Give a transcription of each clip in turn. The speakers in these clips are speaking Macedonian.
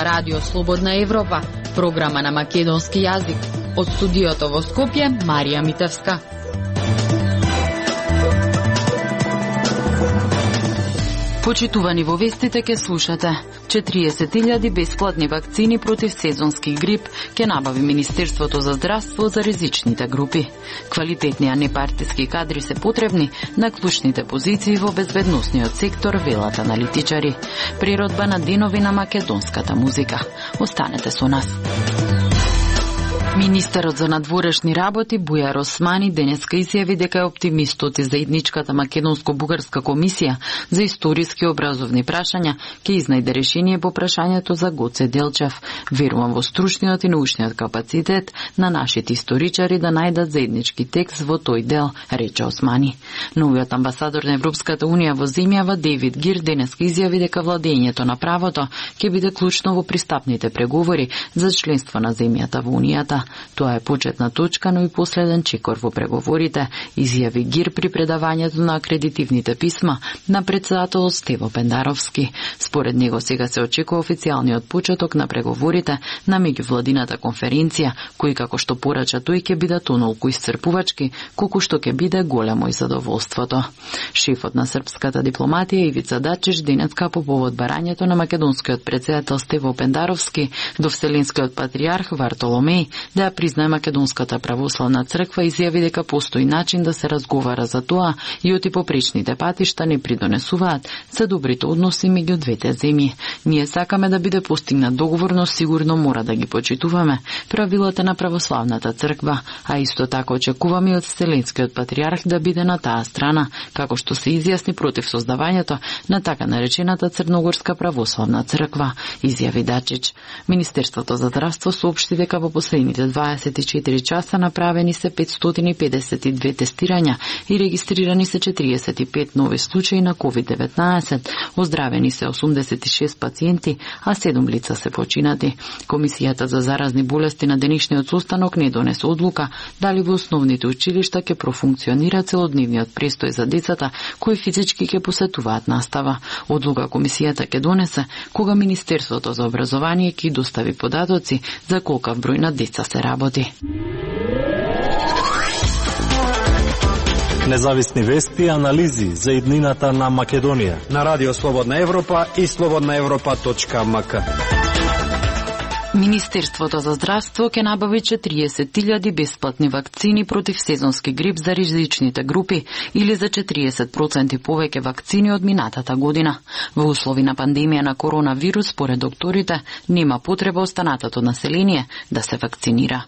ова радио Слободна Европа, програма на македонски јазик. Од студиото во Скопје, Марија Митевска. Почитувани во вестите ке слушате. 40.000 бесплатни вакцини против сезонски грип ке набави Министерството за здравство за ризичните групи. Квалитетни а непартиски кадри се потребни на клучните позиции во безбедносниот сектор, велат аналитичари. Природба на денови на македонската музика. Останете со нас. Министерот за надворешни работи Бујар Османи денеска изјави дека е оптимист од заедничката македонско-бугарска комисија за историски образовни прашања ќе изнајде решение по прашањето за Гоце Делчев. Верувам во стручниот и научниот капацитет на нашите историчари да најдат заеднички текст во тој дел, рече Османи. Новиот амбасадор на Европската унија во земјава Дейвид Гир денеска изјави дека владењето на правото ќе биде клучно во пристапните преговори за членство на земјата во унијата. Тоа е почетна точка, но и последен чекор во преговорите, изјави Гир при предавањето на акредитивните писма на председателот Стево Пендаровски. Според него сега се очекува официјалниот почеток на преговорите на меѓувладината конференција, кои како што порача тој ќе бидат онолку исцрпувачки, колку што ќе биде големо и задоволството. Шефот на српската дипломатија Ивица Дачиш денеска по повод барањето на македонскиот председател Стево Пендаровски до Вселенскиот патријарх Вартоломеј да ја признае Македонската православна црква, изјави дека постои начин да се разговара за тоа и оти попречните патишта не придонесуваат за добрите односи меѓу двете земји. Ние сакаме да биде постигнат договор, но сигурно мора да ги почитуваме правилата на православната црква, а исто така очекуваме од Вселенскиот патријарх да биде на таа страна, како што се изјасни против создавањето на така наречената Црногорска православна црква, изјави Дачич. Министерството за здравство соопшти дека во последните 24 часа направени се 552 тестирања и регистрирани се 45 нови случаи на COVID-19, оздравени се 86 пациенти, а 7 лица се починати. Комисијата за заразни болести на денешниот состанок не донесе одлука дали во основните училишта ќе профункционира целодневниот престој за децата кои физички ќе посетуваат настава. Одлука комисијата ќе донесе кога Министерството за образование ќе достави податоци за колкав број на деца се работи. Независни вести и анализи за иднината на Македонија на Радио Слободна Европа и slobodnaevropa.mk. Министерството за здравство ќе набави 40.000 бесплатни вакцини против сезонски грип за ризичните групи или за 40% повеќе вакцини од минатата година. Во услови на пандемија на коронавирус, според докторите, нема потреба останатото население да се вакцинира.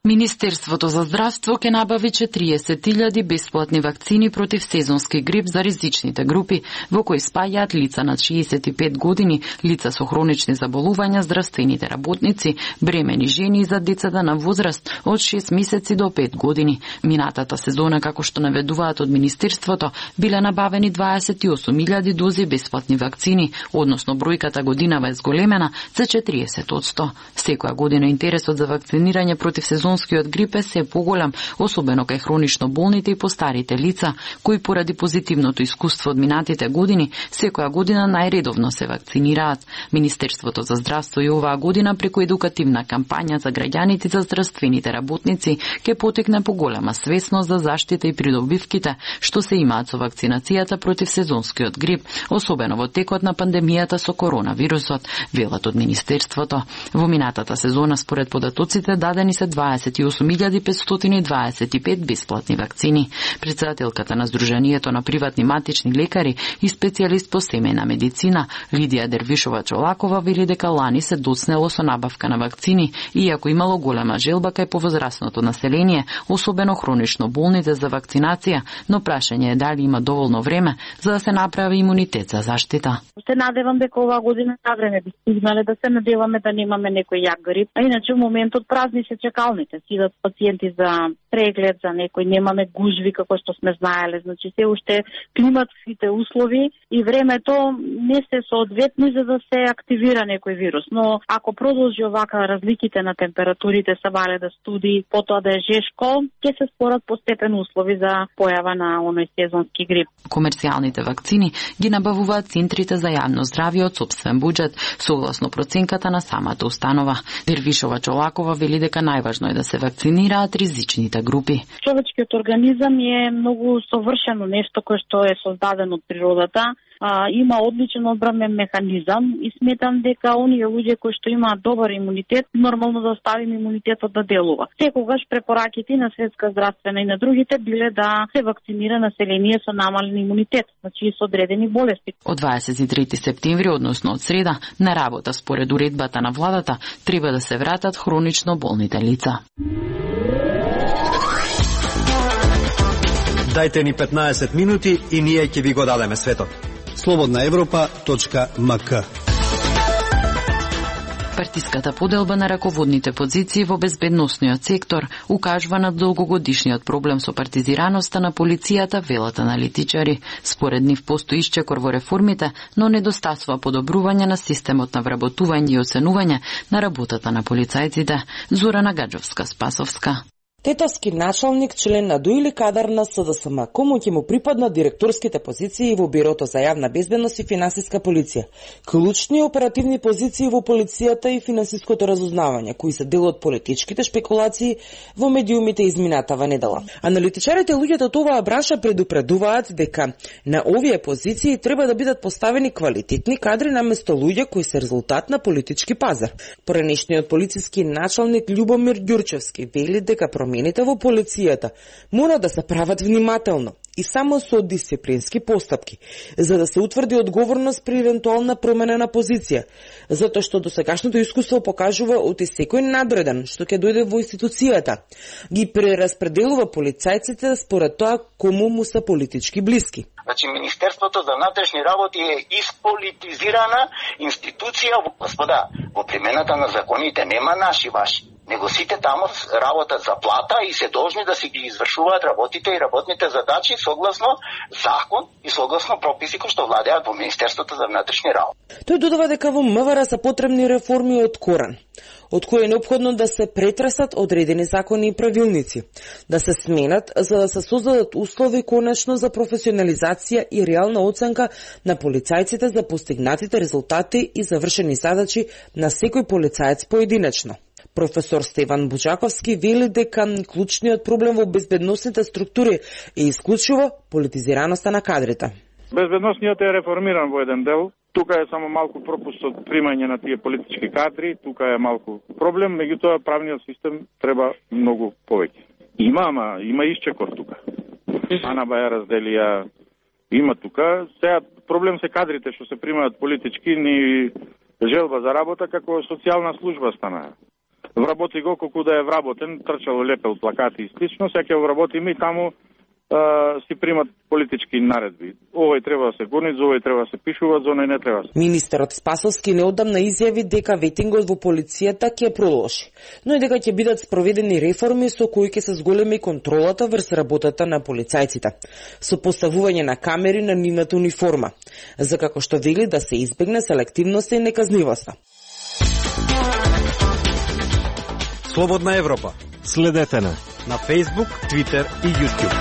Министерството за здравство ќе набави 40.000 бесплатни вакцини против сезонски грип за ризичните групи, во кои спаѓаат лица над 65 години, лица со хронични заболувања, здравствените работници, бремени жени и за децата на возраст од 6 месеци до 5 години. Минатата сезона, како што наведуваат од Министерството, биле набавени 28.000 дози бесплатни вакцини, односно бројката годинава е зголемена за 40%. Секоја година интересот за вакцинирање против сезонскиот грип е се поголем, особено кај хронично болните и постарите лица, кои поради позитивното искуство од минатите години, секоја година најредовно се вакцинираат. Министерството за здравство и оваа година преку едукативна кампања за граѓаните и за здравствените работници ќе потекне поголема свесност за заштита и придобивките што се имаат со вакцинацијата против сезонскиот грип, особено во текот на пандемијата со коронавирусот, велат од Министерството. Во минатата сезона, според податоците, дадени се 28.525 бесплатни вакцини. Председателката на Сдруженијето на приватни матични лекари и специјалист по семејна медицина Лидија Дервишова Чолакова вели дека лани се доцнело со набавка на вакцини, иако имало голема желба кај повозрастното население, особено хронично болните за вакцинација, но прашање е дали има доволно време за да се направи имунитет за заштита. Се надевам дека оваа година на време би стигнале, да се надеваме да немаме некој јак грип, а иначе во моментот празни се чекалните. се сидат пациенти за преглед, за некој немаме гужви како што сме знаеле, значи се уште климатските услови и времето не се соодветни за да се активира некој вирус, но ако продолжи овака разликите на температурите, се вале да студи, потоа да е жешко, ќе се створат постепено услови за појава на оној сезонски грип. Комерцијалните вакцини ги набавуваат центрите за јавно здравје од сопствен буџет, согласно проценката на самата установа. Дервишова Чолакова вели дека најважно е да се вакцинираат ризичните групи. Човечкиот организам е многу совршено нешто кое што е создадено од природата. Има одличен одбранен механизам и сметам дека оние луѓе кои што имаат добар имунитет, нормално да оставим имунитетот да делува. Секогаш препораките на Светска здравствена и на другите биле да се вакцинира население со намален имунитет, значи со одредени болести. Од 23 септември, односно од среда, на работа според уредбата на владата треба да се вратат хронично болните лица. Дајте ни 15 минути и ние ќе ви го дадеме светот. slobodnaevropa.mk. Партиската поделба на раководните позиции во безбедносниот сектор укажува на долгогодишниот проблем со партизираноста на полицијата, велат аналитичари. Според нив постои исчекор во реформите, но недостасува подобрување на системот на вработување и оценување на работата на полицајците. Зорана Гаджовска-Спасовска. Тетовски началник, член на ДУ или кадар на СДСМ, кому ќе му припаднат директорските позиции во Бирото за јавна безбедност и финансиска полиција, клучни оперативни позиции во полицијата и финансиското разузнавање, кои се дел од политичките шпекулации во медиумите изминатава недела. Аналитичарите луѓето од оваа бранша предупредуваат дека на овие позиции треба да бидат поставени квалитетни кадри наместо луѓе кои се резултат на политички пазар. Поранешниот полициски началник Љубомир Ѓурчевски вели дека промените во полицијата мора да се прават внимателно и само со дисциплински постапки, за да се утврди одговорност при евентуална промена на позиција, затоа што досегашното искуство покажува оти секој надреден што ќе дојде во институцијата ги прераспределува полицајците според тоа кому му се политички блиски. Значи, Министерството за внатрешни работи е исполитизирана институција. Господа, во примената на законите нема наши ваши, него сите таму работат за плата и се должни да си ги извршуваат работите и работните задачи согласно закон и согласно прописи кои што владеат во Министерството за внатрешни работи. Тој додава дека во МВР се потребни реформи од корен, од кои е неопходно да се претресат одредени закони и правилници, да се сменат за да се создадат услови конечно за професионализација и реална оценка на полицајците за постигнатите резултати и завршени задачи на секој полицаец поединечно. Професор Стеван Бучаковски вели дека клучниот проблем во безбедносните структури е исклучиво политизираноста на кадрите. Безбедносниот е реформиран во еден дел. Тука е само малку пропуст од примање на тие политички кадри, тука е малку проблем, меѓутоа правниот систем треба многу повеќе. Има исчекор тука. Ана Баја разделија, има тука. Сега проблем се кадрите што се примаат политички, ни желба за работа како социјална служба станаа. Вработи го колку да е вработен, трчало лепел плакати и слично, сега вработиме и таму си примат политички наредби. Овој треба да се гони, за овој треба да се пишува, за оној не треба. Министерот Спасовски неодамна изјави дека ветингот во полицијата ќе продолжи, но и дека ќе бидат спроведени реформи со кои ќе се зголеми контролата врз работата на полицајците, со поставување на камери на нивната униформа, за како што вели да се избегне селективноста и неказнивоста. Слободна Европа. Следете на Facebook, Twitter и YouTube.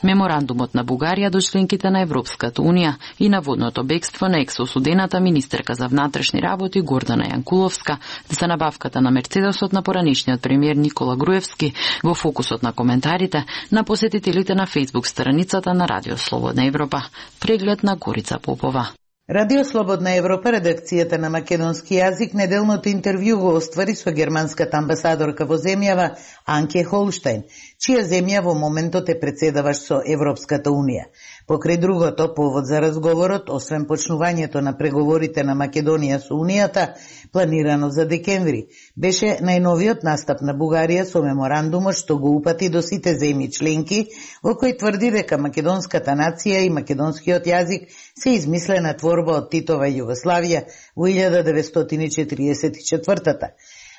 Меморандумот на Бугарија до членките на Европската Унија и наводното бегство на ексосудената министерка за внатрешни работи Гордана Јанкуловска за набавката на Мерцедесот на поранешниот премиер Никола Груевски во фокусот на коментарите на посетителите на Facebook страницата на Радио Слободна Европа. Преглед на Горица Попова. Радио Слободна Европа, редакцијата на македонски јазик, неделното интервју го оствари со германската амбасадорка во земјава Анке Холштајн, чија земја во моментот е председаваш со Европската Унија. Покрај другото, повод за разговорот, освен почнувањето на преговорите на Македонија со Унијата, планирано за декември, беше најновиот настап на Бугарија со меморандумот што го упати до сите земји членки, во кој тврди дека македонската нација и македонскиот јазик се измислена творба од Титова Југославија во 1944-та.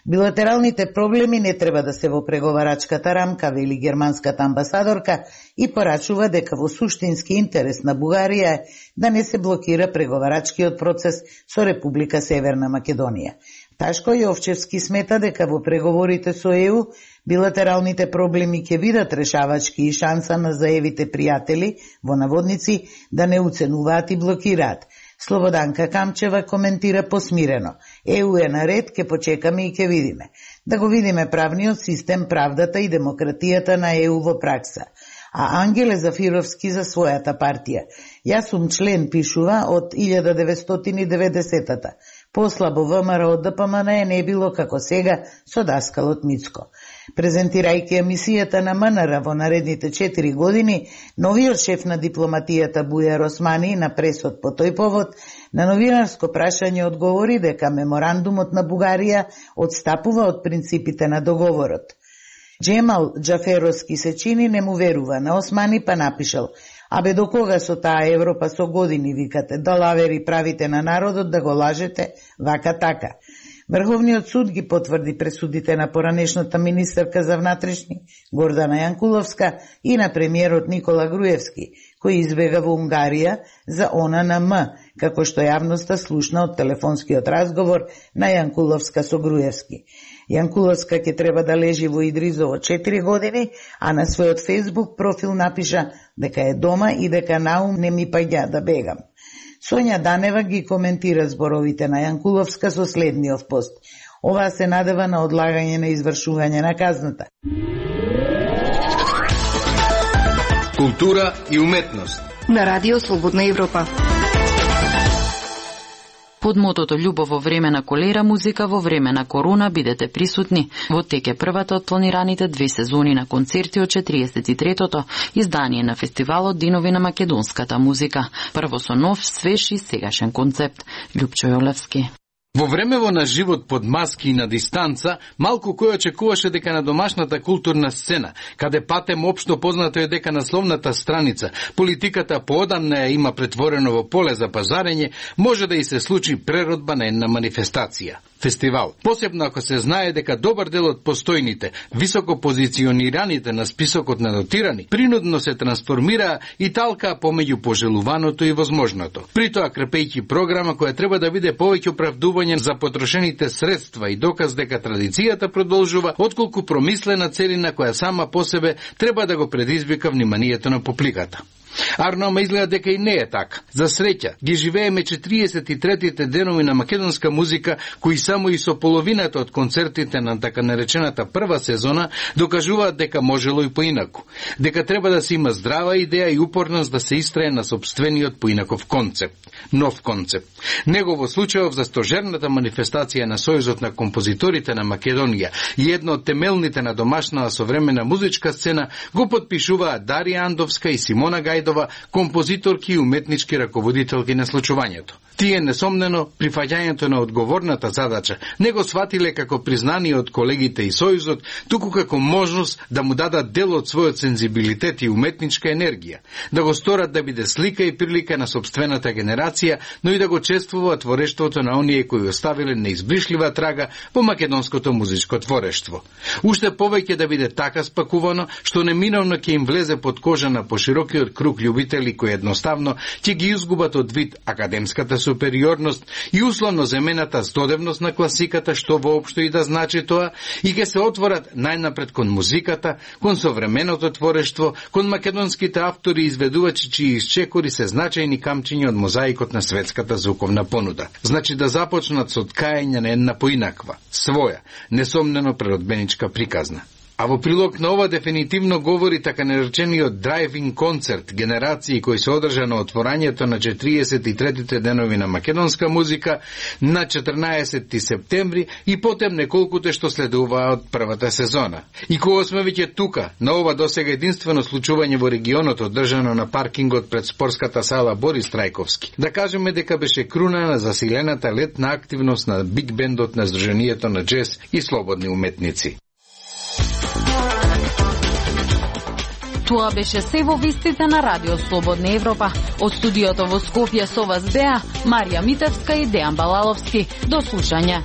Билатералните проблеми не треба да се во преговарачката рамка, вели германската амбасадорка, и порачува дека во суштински интерес на Бугарија е да не се блокира преговарачкиот процес со Република Северна Македонија. Ташко Јовчевски смета дека во преговорите со ЕУ билатералните проблеми ќе бидат решавачки и шанса на заевите пријатели, во наводници, да не уценуваат и блокираат. Слободанка Камчева коментира посмирено. ЕУ е наред, ке почекаме и ке видиме. Да го видиме правниот систем, правдата и демократијата на ЕУ во пракса. А Ангеле Зафировски за својата партија. Јас сум член, пишува, од 1990-та. Послабо ВМРО од ДПМН не било како сега со даскалот Мицко. Презентирајќи емисијата на МНР во наредните 4 години, новиот шеф на дипломатијата Бујар Османи на пресот по тој повод на новинарско прашање одговори дека меморандумот на Бугарија одстапува од принципите на договорот. Джемал Џаферовски се чини не му верува на Османи, па напишал: "Абе до кога со таа Европа со години викате, да лавери правите на народот, да го лажете, вака така." Врховниот суд ги потврди пресудите на поранешната министерка за внатрешни Гордана Јанкуловска и на премиерот Никола Груевски, кој избега во Унгарија за ОННМ, како што јавноста слушна од телефонскиот разговор на Јанкуловска со Груевски. Јанкуловска ќе треба да лежи во Идризово 4 години, а на својот фејсбук профил напиша дека е дома и дека наум не ми паѓа да бегам. Сонја Данева ги коментира зборовите на Јанкуловска со следниот пост: "Ова се надева на одлагање на извршување на казната." Култура и уметност на Радио Слободна Европа. Под мотото "Љубов во време на колера, музика во време на корона", бидете присутни. Во тек е првата од планираните 2 сезони на концерти од 43-тото издание на фестивалот Динови на македонската музика. Прво со нов, свеж и сегашен концепт. Љупчо Јолевски. Во времево на живот под маски и на дистанца, малку кој очекуваше дека на домашната културна сцена, каде патем општо познато е дека насловната страница, политиката поодамна ја има претворено во поле за пазарење, може да и се случи преродба на една манифестација. Фестивал. Посебно ако се знае дека добар дел од постојните, високо позиционираните на списокот на дотирани, принудно се трансформираа и талкаа помеѓу пожелуваното и возможното. При тоа крепејќи програма која треба да биде повеќе оправдување за потрошените средства и доказ дека традицијата продолжува, отколку промислена целина која сама по себе треба да го предизвика вниманието на публиката. Арнома изгледа дека и не е така. За среќа, ги живееме 43-тите денови на македонска музика, кои само и со половината од концертите на така наречената прва сезона докажуваат дека можело и поинаку. Дека треба да се има здрава идеја и упорност да се истрае на сопствениот поинаков концепт. Нов концепт. Негово случајов за стожерната манифестација на Сојузот на композиторите на Македонија и едно од темелните на домашната современа музичка сцена го подпишуваат Дарија Андовска и Симона Гајдова, композиторки и уметнички раководителки на случувањето. Тие несомнено при фаќањето на одговорната задача не го сватиле како признание од колегите и Сојузот, туку како можност да му дадат дел од својот сензибилитет и уметничка енергија, да го сторат да биде слика и прилика на собствената генерација, но и да го чествуваат творештвото на оние кои оставиле неизбришлива трага во македонското музичко творештво. Уште повеќе да биде така спакувано, што неминовно ќе им влезе под кожа на поширокиот круг љубители кои едноставно ќе ги изгубат од вид академската супериорност и условно земената здодевност на класиката, што воопшто и да значи тоа, и ќе се отворат најнапред кон музиката, кон современото творештво, кон македонските автори и изведувачи чии исчекори се значајни камчиња од мозаикот на светската звуковна понуда. Значи да започнат со ткаење на една поинаква, своја, несомнено преродбеничка приказна. А во прилог на ова дефинитивно говори така наречениот драйвинг концерт генерации кој се одржа на отворањето на 43-тите денови на македонска музика на 14 септември и потем неколкуте што следуваат од првата сезона. И кога сме веќе тука, на ова досега единствено случување во регионот одржано на паркингот пред спортската сала Борис Трајковски, да кажеме дека беше круна на засилената летна активност на биг бендот на Сдруженијето на джез и слободни уметници. Тоа беше се во вестите на Радио Слободна Европа. Од студиото во Скопје со вас беа Марија Митевска и Дејан Балаловски. До слушање.